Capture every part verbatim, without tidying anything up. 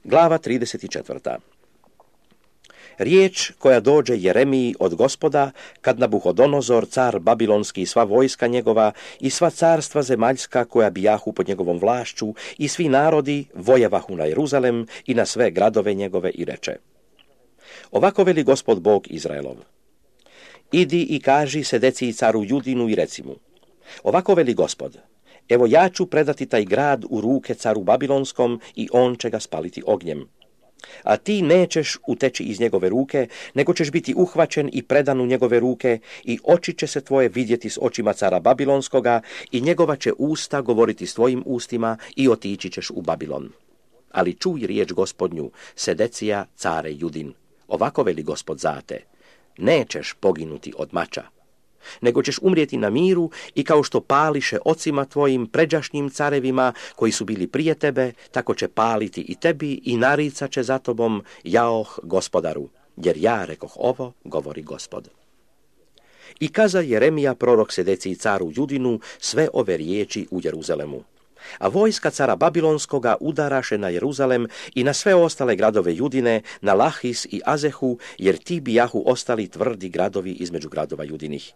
Glava trideset četvrta. Riječ koja dođe Jeremiji od Gospoda, kad Nabuhodonozor, car babilonski, i sva vojska njegova i sva carstva zemaljska koja bijahu pod njegovom vlašću i svi narodi vojevahu na Jeruzalem i na sve gradove njegove i reče: Ovako veli Gospod Bog Izraelov: Idi i kaži Sedeciji caru Judinu i reci mu: Ovako veli Gospod: Evo ja ću predati taj grad u ruke caru babilonskom i on će ga spaliti ognjem. A ti nećeš uteći iz njegove ruke, nego ćeš biti uhvaćen i predan u njegove ruke i oči će se tvoje vidjeti s očima cara babilonskoga i njegova će usta govoriti s tvojim ustima i otići ćeš u Babilon. Ali čuj riječ Gospodnju, Sedecija, care Judin. Ovako veli Gospod za te: Nećeš poginuti od mača, nego ćeš umrijeti na miru i kao što pališe ocima tvojim pređašnjim carevima koji su bili prije tebe, tako će paliti i tebi i naricat će za tobom, jaoh Gospodaru, jer ja rekoh ovo, govori Gospod. I kaza Jeremija prorok Sedeciji caru Judinu sve ove riječi u Jeruzalemu. A vojska cara babilonskoga udaraše na Jeruzalem i na sve ostale gradove Judine, na Lahis i Azehu, jer ti bijahu ostali tvrdi gradovi između gradova Judinih.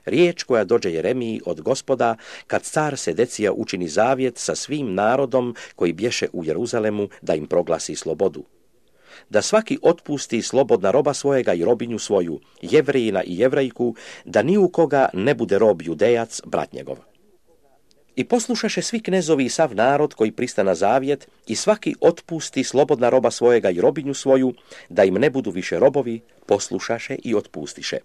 Riječ koja dođe Jeremiji od Gospoda, kad car Sedecija učini zavjet sa svim narodom koji bješe u Jeruzalemu, da im proglasi slobodu. Da svaki otpusti slobodna roba svojega i robinju svoju, Jevrejina i Jevrejku, da ni u koga ne bude rob Judejac, brat njegov. I poslušaše svi knezovi i sav narod koji prista na zavjet i svaki otpusti slobodna roba svojega i robinju svoju, da im ne budu više robovi, poslušaše i otpustiše.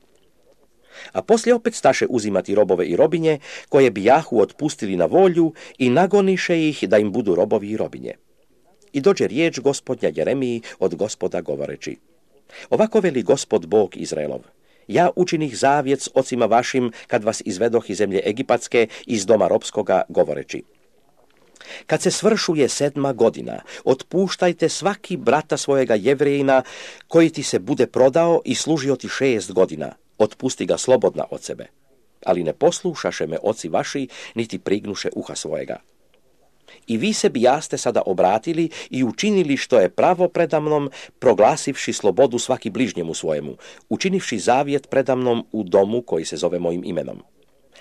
A poslije opet staše uzimati robove i robinje, koje bijahu otpustili na volju i nagoniše ih da im budu robovi i robinje. I dođe riječ Gospodnja Jeremiji od Gospoda govoreći: Ovako veli Gospod Bog Izraelov: Ja učinih zavjet s ocima vašim, kad vas izvedoh iz zemlje Egipatske, iz doma robskoga, govoreći: Kad se svršuje sedma godina, otpuštajte svaki brata svojega Jevrejina, koji ti se bude prodao i služio ti šest godina, otpusti ga slobodna od sebe. Ali ne poslušaše me oci vaši, niti prignuše uha svojega. I vi se bijaste sada obratili i učinili što je pravo predamnom, proglasivši slobodu svaki bližnjemu svojemu, učinivši zavjet predamnom u domu koji se zove mojim imenom.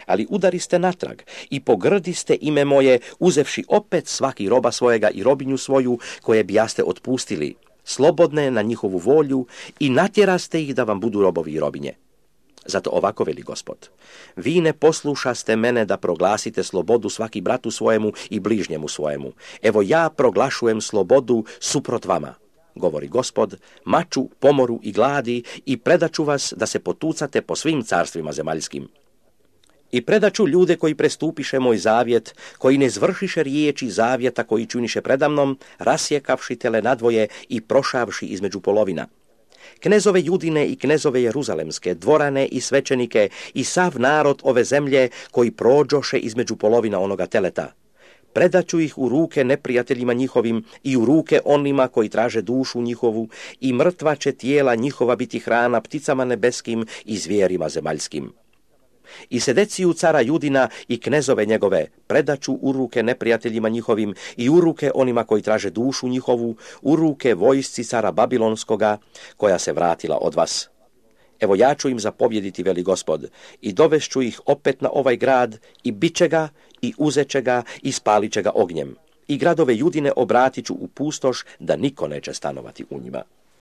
Ali udariste natrag i pogrdiste ime moje, uzevši opet svaki roba svojega i robinju svoju, koje bijaste otpustili, slobodne na njihovu volju, i natjeraste ih da vam budu robovi i robinje. Zato ovako veli Gospod: Vi ne poslušaste mene da proglasite slobodu svaki bratu svojemu i bližnjemu svojemu. Evo ja proglašujem slobodu suprot vama, govori Gospod, maču, pomoru i gladi, i predaću vas da se potucate po svim carstvima zemaljskim. I predaću ljude koji prestupiše moj zavjet, koji ne zvršiše riječi zavjeta koji činiše predamnom, rasjekavši tele nadvoje i prošavši između polovina. Knezove Judine i knezove Jeruzalemske, dvorane i svećenike i sav narod ove zemlje koji prođoše između polovina onoga teleta. Predaću ih u ruke neprijateljima njihovim i u ruke onima koji traže dušu njihovu, i mrtva će tijela njihova biti hrana pticama nebeskim i zvijerima zemaljskim. I Sedeciju cara Judina i knezove njegove predaću u ruke neprijateljima njihovim i u ruke onima koji traže dušu njihovu, u ruke vojsci cara babilonskoga, koja se vratila od vas. Evo ja ću im zapovjediti, veli Gospod, i dovešću ih opet na ovaj grad, i bit će ga, i uzet će ga, i spalit će ga ognjem. I gradove Judine obratit ću u pustoš, da niko neće stanovati u njima.